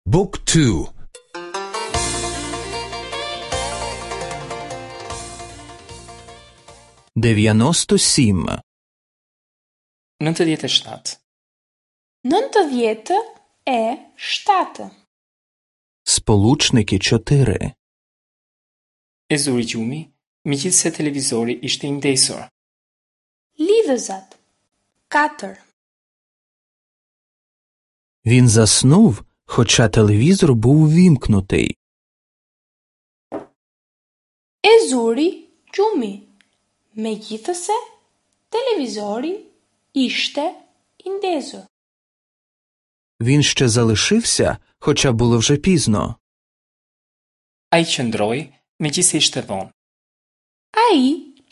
Book 2 97. 97. 97. Сполучники 4. E zuri gjumi, megjithëse televizori ishte i ndezur. Lidhëzat. 4. Він заснув, хоча телевізор був увімкнутий. E zuri gjumi, megjithëse televizori ishte i ndezur. Він ще залишився, хоча було вже пізно. Ai qëndroi, megjithëse ishte vonë. Ai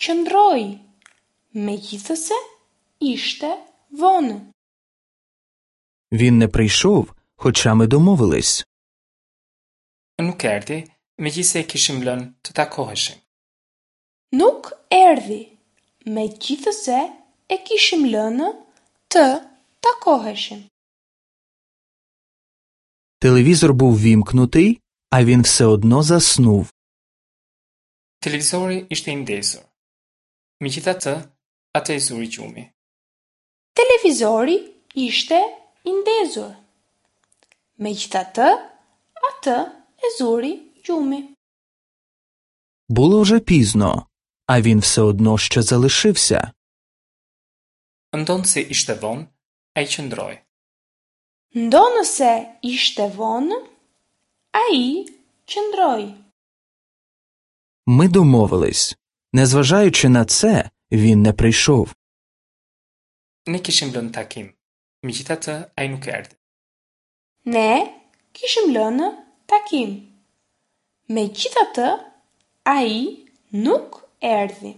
qëndroi, megjithëse ishte vonë. Він не прийшов, хоча ми домовились. Nuk erdhi, megjithëse e kishim lënë të takoheshim. Nuk erdhi, megjithëse e kishim lënë të takoheshim. Телевізор був ввімкнутий, а він все одно заснув. Televizori ishte i ndezur. Megjithatë, atë e zuri gjumi. Televizori ishte i ndezur. Megjithatë, atë e zuri gjumi. Було вже пізно, а він все одно ще залишився. Ndonëse ishte vonë, ai qëndroi. Ndonëse ishte vonë, ai qëndroi. Ми домовились. Незважаючи на це, він не прийшов. Ne kishim lënë takim. Megjithatë, ai nuk erdhi. Ne kishim lënë takim. Megjithatë, ai nuk erdhi.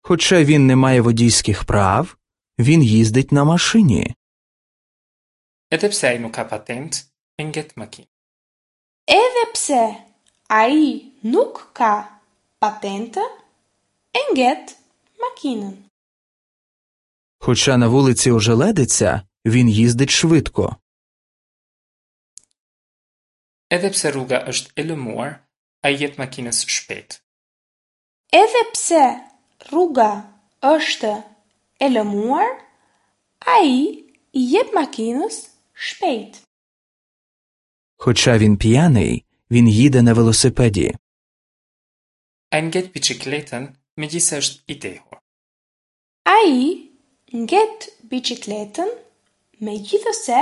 Хоча він не має водійських прав, він їздить на машині. Edhe pse ai nuk ka patent, e nget makinë. Edhe pse ai nuk ka patentë, e nget makinën. Хоча на вулиці ожеледиця, він їздить швидко. Edhe pse rruga është e lëmuar, ai jep makinës shpejt. Edhe pse rruga është e lëmuar, ai i jep makinës shpejt. Хоча він п'яний, він їде на велосипеді. Ai nget biçikletën, megjithëse është i dehur. Ai nget biçikletën, megjithëse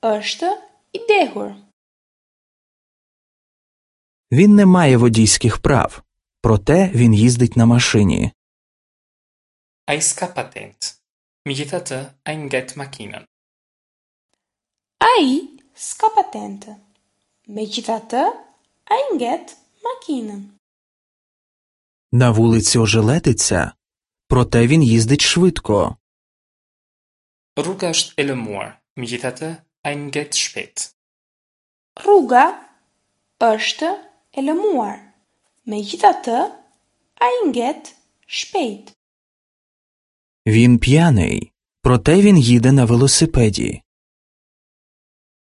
është i dehur. Він не має водійських прав, проте він їздить на машині. Ai s'ka patent. Megjithatë, ai nget makinën. Ai s'ka patentë. Megjithatë, ai nget makinën. На вулиці ожеледиця, проте він їздить швидко. Rruga është e lëmuar, megjithatë, ai nget shpejt. Rruga është e lëmuar. Megjithatë, ai nget shpejt. Він п'яний, проте він їде на велосипеді.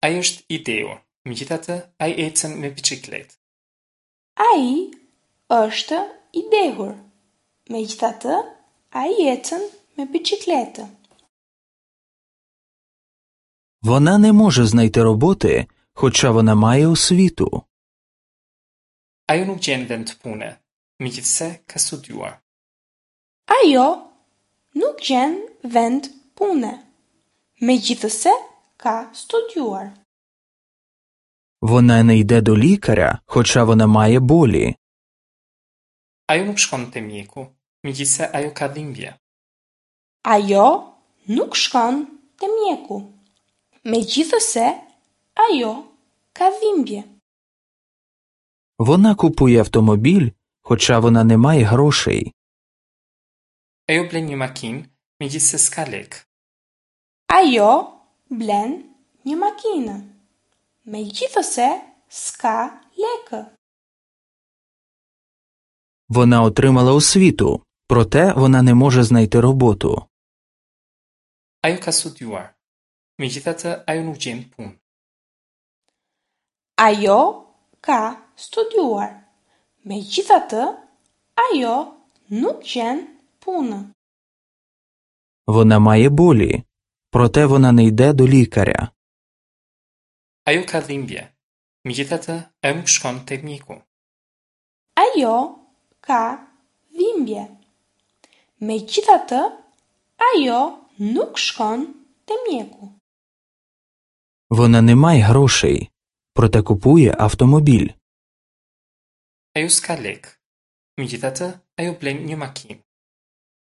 Ai është i dehur, megjithatë, ai ecën me biçikletë. Ai është i dehur. Megjithatë, ai ecën me biçikletë. Вона не може знайти роботи, хоча вона має освіту. Ajo nuk gjen vend pune, megjithëse ka studiuar. Ajo nuk gjen vend pune, megjithëse ka studiuar. Вона не йде до лікаря, хоча вона має болі. Ajo nuk shkon te mjeku, megjithëse ajo ka dhimbje. Ajo nuk shkon te mjeku, megjithëse ajo ka dhimbje. Вона купує автомобіль, хоча вона не має грошей. Ajo blen një makinë, megjithëse s'ka lekë. Ajo blen një makinë, megjithëse s'ka lekë. Вона отримала освіту, проте вона не може знайти роботу. Ajo ka studiuar. Megjithatë, ajo nuk gjen punë. Ajo ka studiuar. Megjithatë, ajo nuk gjen punë. Вона має болі, проте вона не йде до лікаря. Ajo ka dhimbje. Megjithatë, ajo nuk shkon te mjeku. Ajo ka dhimbje. Megjithatë, ajo nuk shkon te mjeku. Вона не має грошей, проте купує автомобіль. Ajo s'ka lekë. Megjithatë, ajo blen një makinë.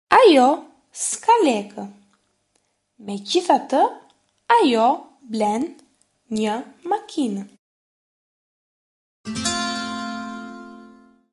Ajo s'ka lekë. Megjithatë, ajo blen një makinë.